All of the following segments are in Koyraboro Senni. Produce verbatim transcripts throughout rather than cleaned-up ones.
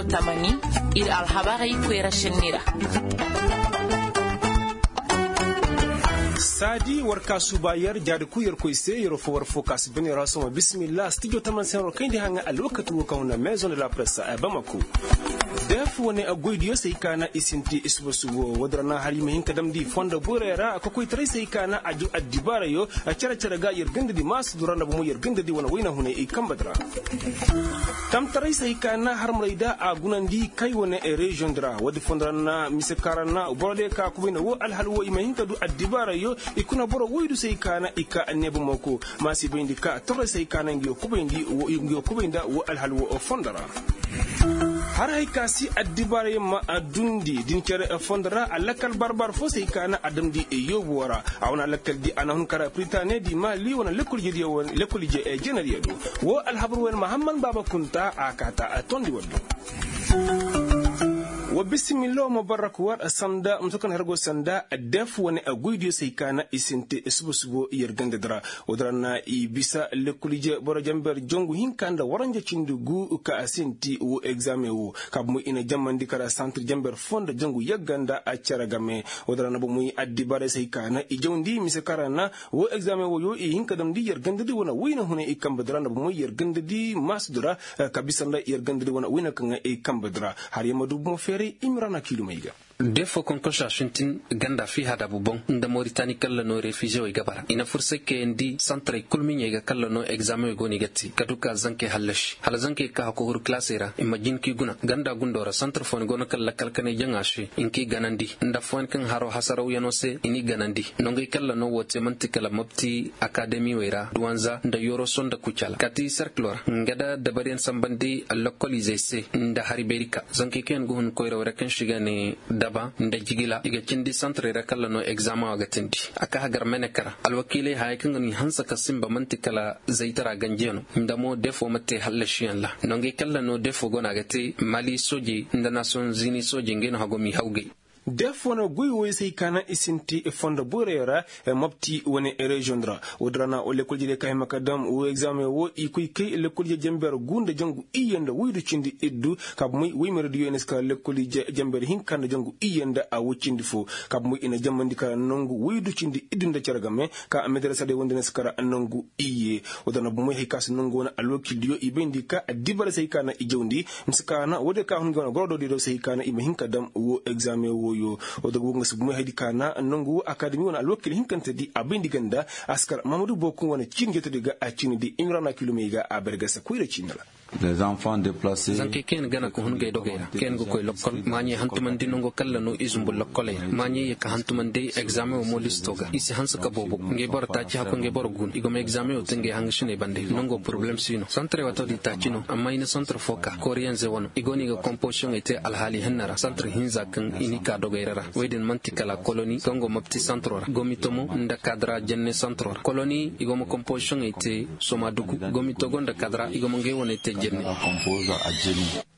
Tamani, ir alhabarey koyra senni ra. Saadi war ka suuba yer jaadi kul yer koy se yer fo war fo ka si bane ra sohõ bismillah stijo taman se yer wo kayndi haŋa alwakati wo ka huna maison de la presse bamako. Def wane goydiyo se i kaana i sinti suba subo wo- din ra na har i ma hin ka damndi fondo borey ra kokoytaray se i kaana a ju addibaarayo. Cere cere ga yer gandadi maasadu ra nda bomo yer gandadi wane wayna hunay i kamba di ra. Tamtaray se hay ka na harmaray da a gunandi kay wane reziyoŋ di ra woodi fondo ra na mise kaŋ ra na boro diyo ka kubay nda wo alhal wo i ma hin ka du addibaarayyo. I kuna boro woydu se hay ka na i ka neeba mooko ma si bayndi ka torray se hay ka na nga yo kubay nda wo alhal wo fondo ra. Har hay ka si addibaarayyo ma dundi din cere fondo ra a lakkal barbar fo se hay ka na a damndi yoobu wo ra. A wane lakkal di a na hun kara piritaane di maali wane lekkol ije jeneriyo do. Wo alhabar wane mahamman baaba kunta a kaata a tondi waddo. Wa bisimillo ma barrak war sanda muso kan hargo sanda def wane goydiyo se hay ka na i sinte subo subo yer ganda dira. Wo dira na i bisa lekkol ije boro jamber jangu hinka nda waranja cindi gu ka a sinti wo egzaameŋ wo. Ka bomo i na jammandi kara santir jamber fo nda jangu yagga nda a cere game. Wo dira na bomoy addibaarey se hay ka na i jawndi mise kara na wo egzaameŋ woyo i hin ka damndi yer gandadi wane wayna hunay i kamba di ra nda bomoy yer gandadi maasadu ra. Ka bisa nda yer gandadi wane wayna kaŋ i kamba di ra. Har yer ma du bomo feeray i ma ra na kiilumey ga. De fo konkosa sintin ganda fi hadabu boŋ nda moritani kalla no refizewey ga bara i na fursay kayandi santaray kul miɲey ga kalla no egzaameŋey go no i ga te ka du ka zankey hallasi hala zankey ka hako huru kalasey ra i ma jin ka i guna ganda gundo ra santar fooyaŋ go no kaŋ lakkal kanay jaŋa se i na ka i ganandi nda fooyaŋ kaŋ haro hasarawyaŋo se i n'i ganandi. Nongey kalla no wo te man'ti kala mobti akademiwey ra duwanza nda yoroso nda kucala kaati serkilo ra nga nda dabaryaŋ sambandi lokkolizey se nda hari beeri ka zankey kaŋ yaŋ ga hun koyrawey ra kaŋ se i ga ne daba nda jigila i ga cindi santarey ra kalla no egzaameŋo ga teendi. A ka hagar meneka ra alwakiiley hayey kaŋ ga no i hanse ka sinba man'ti kala zaytara ganjiyano nda mo defo ma te hallasiyaŋ ra. Nongey kalla no defo go no a ga te mali soojey nda nasoŋ zini soojey ngey no hago m'i hawgay. Defo no goy woy se hay ka na i sinti fondo boyroyo ra mobti wane reziyoŋ ra. Woodin ra na lekkol ije diyo ka hima ka dam wo egzaameŋ wo i koy kay lekkol ije jenber gu nda jangu iyye nda woydu cindi iddu. Ka bomoy woy mere diyo i na si kara lekkol ije jenber hinka nda jangu iyye nda a woy cindi fo. Ka bomoy i na jammandi kara nangu woydu cindi iddu nda cere game ka medarasa diyo wande na si kara nangu iyye. Woodin ra na bomoy hay ka si nangu wane alwakil diyo i bayndi ka addibaray se hay ka na i jawndi. Mise ka na woodin ka hun ga wane goro do diyo se hay ka na i ma hin ka dam wo egzaameŋ woyo. Woodin ga boŋ ga si bomoy hay di ka na nangu wo akademi wane alwakil hinkante di a bayndi ganda. Askar mahamadu bookuŋ wane ciini jeetedi ga a ciini di imrana kilomey ga a bergasa koyra ciini ra. Zankey kaŋ yaŋ gana ka hun gay dogey ra kaŋ yaŋ ga koy lokkol maaɲey hantumandi nango kalla no i zumbu lokkoley ra maaɲey ye ka hantumandi egzaameŋo mo listo ga i si hanse ka boobo ngey boro taaci hakko ngey boro guna i go ma egzaameŋo te ngey hangasiney bande nango poroblem si no santarey waato di taaci no amma i na santar fo ka kooriyanze wano i go no i ga komposiyoŋey te alhaali henna ra santar hinza kaŋ i n'i ka dogey ra ra wey din man'ti kala koloni kaŋ go mopti santaro ra gomitomo nda kadara jenne santaro ra koloni i go ma komposiyoŋey te soma dugu gomitogo nda kadara i go ma ngey waney te jenne.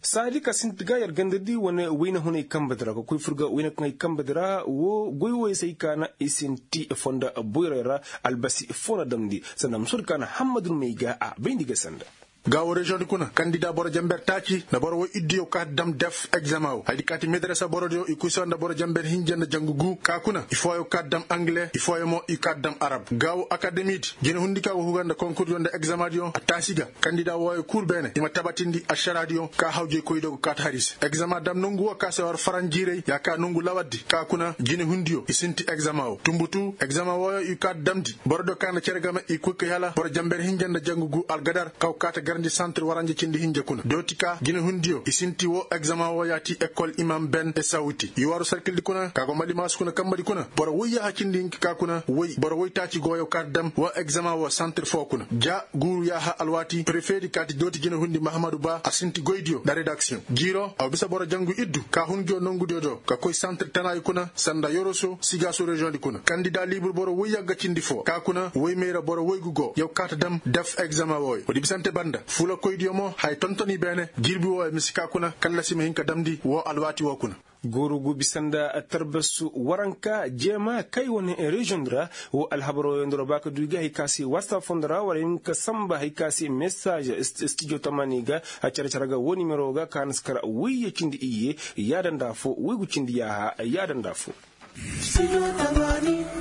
Saadi ka sinti ga yer ganda di wane wayna hunay kamba di ra ka koy fur ga wayna kaŋ ay kamba di ra wo goy woy se ay ka na i sinti fonda boyray ra. Albasi fo na damndi sanda musur ka na hammadun may ga a bayndi ga sanda. Gaawo reziyoŋ di kuna kandida boro jamber taaci nda boro woy iddu yaw kaati dam def egzama wo haydi kaati medarasa borodiyo i kuy soo nda boro jamber hinja nda jangu gu ka kuna i fooyaŋ kaati dam angile i fooyaŋ mo i kaati dam arab gaawo akademi di jine hundi ka go huga nda konkurdiyo nda egzamadiyo a taasi ga kandida wooyo kul beene i ma tabatindi ašaraadiyo ka hawjay koydiyo go kaati hari se egzama dam nongu woo ka se war faranjiiray ya ka nongu lawaddi ka kuna jine hundiyo i sinti egzama woo tumbutu egzama wooyo i kaati damndi borodiyo ka na cere game i koy kay hala boro jamber hinja nda jangu gu algadar ka go kaati garndi santir waranja cindi hinja kuna dooti ka jine hundiyo i sinti woo egzama woo yaati ekol imam ben esawuti i waaru sarkildi kuna ka go malimaasu kuna kambadi kuna boro woy yaaha cindi hinka ka kuna woy boro woy taaci gooyo kaati dam woo egzama woo santir foo kuna ja guuru yaaha alwaati prefeedi kaati dooti jine hundi mahamadu ba a sinti goydiyo nda redaksiyoŋ jiiro a wa bisa boro jangu iddu ka hun nguyo nongudiyo do ka koy santir tanaayi kuna sanda yoroso sigaaso reziyoŋ di kuna kandida liibur boro woy yagga cindi foo ka kuna woy mayra boro woy gugo yaw kaati dam def egzama wooyo woodi bisante banda fulakoydiyo mo haya tontoni beene jirbi wooyo misi ka kuna kallasi ma hin ka damndi woo alwaati woo kuna. Gooru gu bisa nda tarbasu waranka jeema kay wane reziyoŋ di ra. Wo alhabaroo yaŋ di ra ba ka du i ga hari ka se whatsapp fondo ra war hin ka samba hari ka se mesaaz stijo tamaani ga. Cere cere ga wo nimero ga ka na si kar wayye cindi iyye yaada nda afo waygu cindi yaaha yaada nda afo.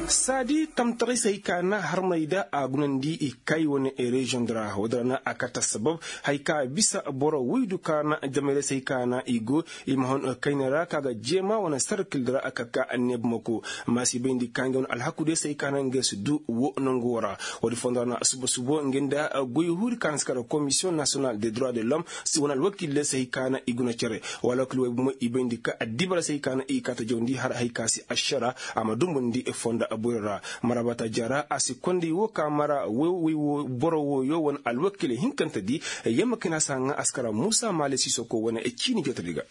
Saadi tamtaray se hari ka na harmay da a gunandi i kay wane reziyoŋ di ra wo- din ra na a kate assabab hari ka bisa boro waydu ka na jamayray se hari ka na i go i ma hon kayna ra ka ga jeema wane sarkil di ra ka ka anneeba mako. Maasi bayndi ka nga wane alhaku day se hari ka na nga si du wo nangu wo ra. Wo- din fondo ra na suba subo nga nda goy huuri ka na si kar komisiyoŋ nasiyonal de droit de l'homme si wane alwakiil day se hari ka na i guna cere. Wala kul way bumo i bayndi ka addibara se hari ka na i kaata jawndi har hari ka si ašara a ma dumbundi fonda boyro ra. Mara bata jara a si konday wo ka mara way wo boro wooyo wane alwakiley hinkantedi. Yamma kayna si haŋa a si kara muusa maale siisoko wane ciini jootedi ga.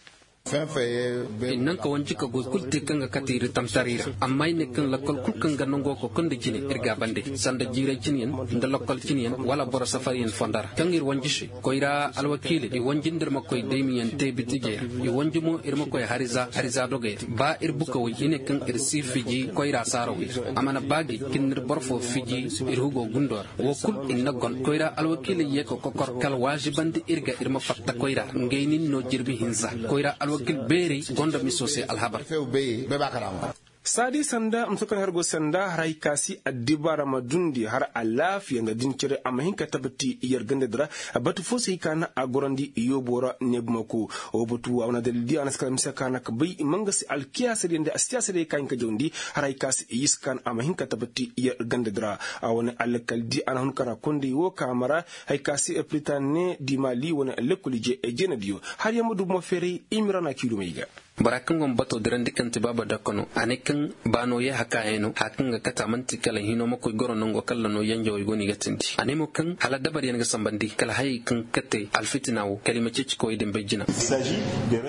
Ir naŋ ka wanji ka goy kul te kaŋ ga kate ir tamtaray ra. Amma ir ne kaŋ lakkol kul kaŋ ga nangoo kokondi jine ir ga a bande sanda jiiray cinyaŋ nda lakkol cinyaŋ wala boro safaryaŋ fonda ra kaŋ ir wanji se. Koyra alwakiiley i wanji nda ir ma koy daymiyaŋ te bitijey ra. I wanji mo ir ma koy hariza hariza dogey ra ba ir bukawey i ne kaŋ ir si fiji koyra saarawey ra. A mana ba gi ka ir na ir boro foo fiji ir hugoo gundoo ra. Woo kul ir na gon koyra alwakiiley yee ka kokor kala waazibandi ir ga ir ma fatta koyra ra ngey nin no jirbi hinza. Koyra alwakiil beerey gonda miso se alhabar. Saadi sanda muso kaŋ har go sanda har hay ka si addibaara ma dundi har alaafiya nda din cere a ma hin ka tabati yer gandadi ra. Batu fo se hay ka na a gorandi yoobo ra neebumako. Woo batu a wane dalil di a na si kala mise ka na ka bay manga se alkiyaasadiya nda siyaasadiya ka hin ka jawndi har hay ka si yis ka na a ma hin ka tabati yer gandadi ra. A wane alkal di a na hun ka na konday woo ka mara hay ka si pritane di mali wane lekkol ije jeenadiyo. Har yamma du mo feeray imira na kiilumey ga. Bora kaŋ go ma bato dirandi kaŋ ti baaba dakko no a ne kaŋ baano yee hakaayey no haya kaŋ ga kate a man'ti kala hino ma koy goro nango kalla no yanjawey go no i ga tindi a ne mo kaŋ hala dabaryaŋ ga sambandi kala hayey kaŋ kate alfitina wo kala i ma ceeci kawey din bay jina.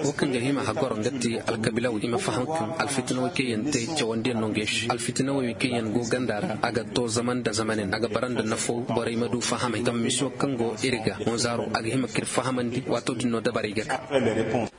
Wo kaŋ ga hima hagoro nga ti alkabiilawey i ma faham kaŋ alfitinawey kaŋ yaŋ te cawandiyaŋ no ngey se alfitinawey kaŋ yaŋ go ganda ra a ga to zaman nda zamanin a ga bara nda nafo borey ma du fahamay zama misiyo kaŋ go ir ga honzaaro a ga hima ka ir fahamandi waato din no dabarey ga ka.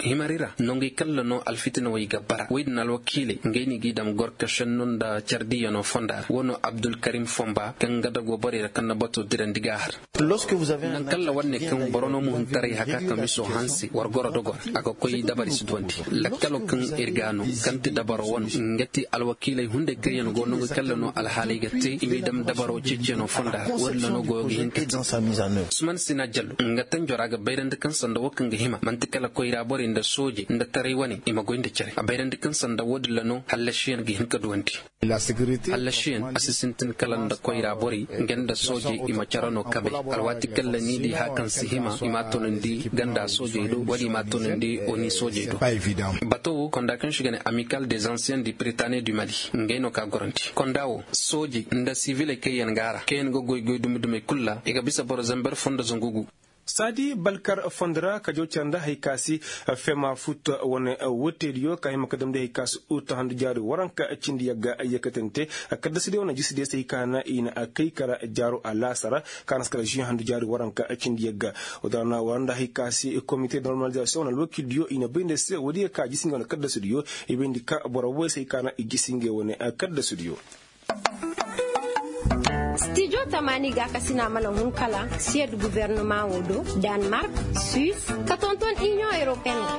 Himari ra nongey kalla no alfitinawey ga bara wey din alwakiiley ngey no i g'i dam gorka šenno nda care diiyano fonda ra wo no abdulkarim fonba kaŋ ga dago borey ra kaŋ na bato dirandi g'a har. Naŋ kalla war ne kaŋ boro no muhuntaray haka ka miso hanse war goro dogo ra a ga koy dabari si duwandi. Lakkalo kaŋ ir ga no kaŋ ti dabaro wano nga ti alwakiiley hunday kaŋ yaŋ go no nga kalla no alhaaley ga te i m'i dam dabaro ceeceno fonda ra wo- din ra no goyo ga hin ka te. Usman sina jallo nga tanjo ra ga bayrandi kaŋ sanda wo kaŋ ga hima man'ti kala koyra borey nda soojey nda taray wane i ma goy nda care a bayrandi kaŋ sanda wo- din ra no hallasiyaŋ ga hin ka duwandi. Hallasiyaŋ a si sintin kala nda koyra borey nga nda soojey i ma care no kabay. Alwaati kaŋ ra ni di haya kaŋ si hima i m'a tunandi ganda soojey do wala i m'a tunandi oni soojey do. Bato wo konda kaŋ se i ga ne amikal des anciens du pritane du mali ngey no ka gorandi konda wo soojey nda siviley kaŋ yaŋ go a ra kaŋ yaŋ ga goy goy dumi dumey kul ra i ga bisa boro zamber fondo zangu gu. Saadi balkar fondo ra ka jaw care nda hay ka si fema fut wane woteediyo ka hima ka damndi hay ka si ut handu jaari waranka cindi yagga yakkatante. Kaddasidiyo wane jisidiyo se hay ka na i na kay kara jaaro alaasara ka na si kara žuwi handu jaari waranka cindi yagga. Woo din ra na war nda hay ka si komite normalizasiyoŋ wane alwakiildiyo i na bay nda se woodiyo ka jisi ngey wane kaddasidiyo. I bayndi ka boro woy se hay ka na i jisi ngey wane kaddasidiyo. Stijo tamaani gaakasina mana hun kala siyed guverneman wo do, danmark, suis, ka tonton iniyoŋ europeen ra.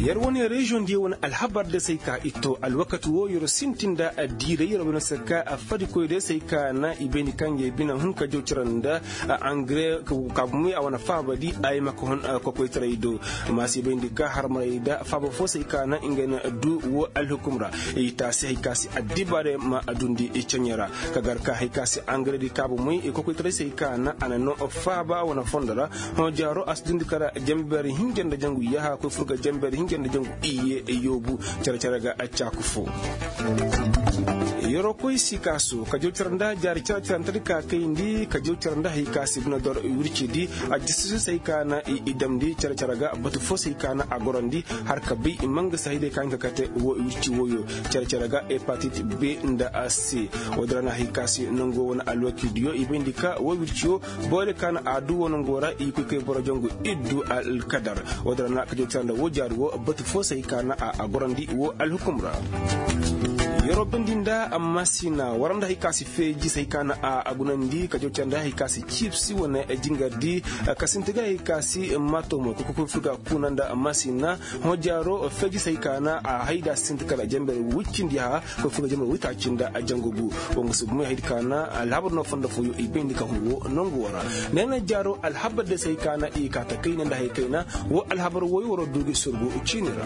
Yer wane reziyoŋ diyo wane alhabar day se ay ka i to alwakati wo yer sintin nda diiray yer wane se ka fadikoy day se ay ka na i bayndi kaŋ ga ay bine hun ka jaw cere nda angare kaabumey a wane faaba di ay ma ka hun kokoytaray do. Maasi bayndi ka harmaray nda faaba fo se ay ka na ngey na du wo alhukum ra. I taasi hay ka se addibaarey ma dundi i caɲey ra ka gar ka hay ka se angaredi kaabumey i kokoytaray se hay ka na a na no faaba wane fondo ra. Hõ jaaro a si dundi kala janbeeri hinja nda jangu yaaha koy fur ga janbeeri hinja nda jangu iyye yoobu. Cere cere ga caaku fo. Yeroo koy sikaaso ka jaw cere nda jaari cere cere nda ka kayndi ka jaw cere nda hay ka se bine dor wircidi. A jisisu se hay ka na i damndi cere cere ga batu fo se hay ka na a gorandi har ka bay i ma nga se hay day ka hin ka kate wo wirci woyo. Cere cere ga hepatit b nda c. Woo din ra na hay ka se nango wane alwakiildiyo i bayndi ka wo wirciyo boro diyo ka na a du wo nango ra i koy kay boro jangu iddu alkadar. Woo din ra na ka jaw cere nda wo jaari wo. Batu fo se hay ka na a gorandi wo alhukum ra. Yeroo bindi nda maasina war nda hay ka si feeji se hay ka na a gunandi ka jawca nda hay ka si ciibsi wane jingardi ka sinti ga hay ka si maato mo ka kokoy furga kuna nda maasina. Hõ jaaro feeji se hay ka na a hayda sinti kala jember wiccindi ha koy furga jember witaaci nda jangu gu. Wo nga si gumo haydi ka na alhabar no fondo fooyo i bayndi ka hun wo nongu wo ra. Neena jaaro alhabar de se hay ka na i ka ta kayna nda hay kayna. Wo alhabar woy waroo du gi sorgu ciini ra.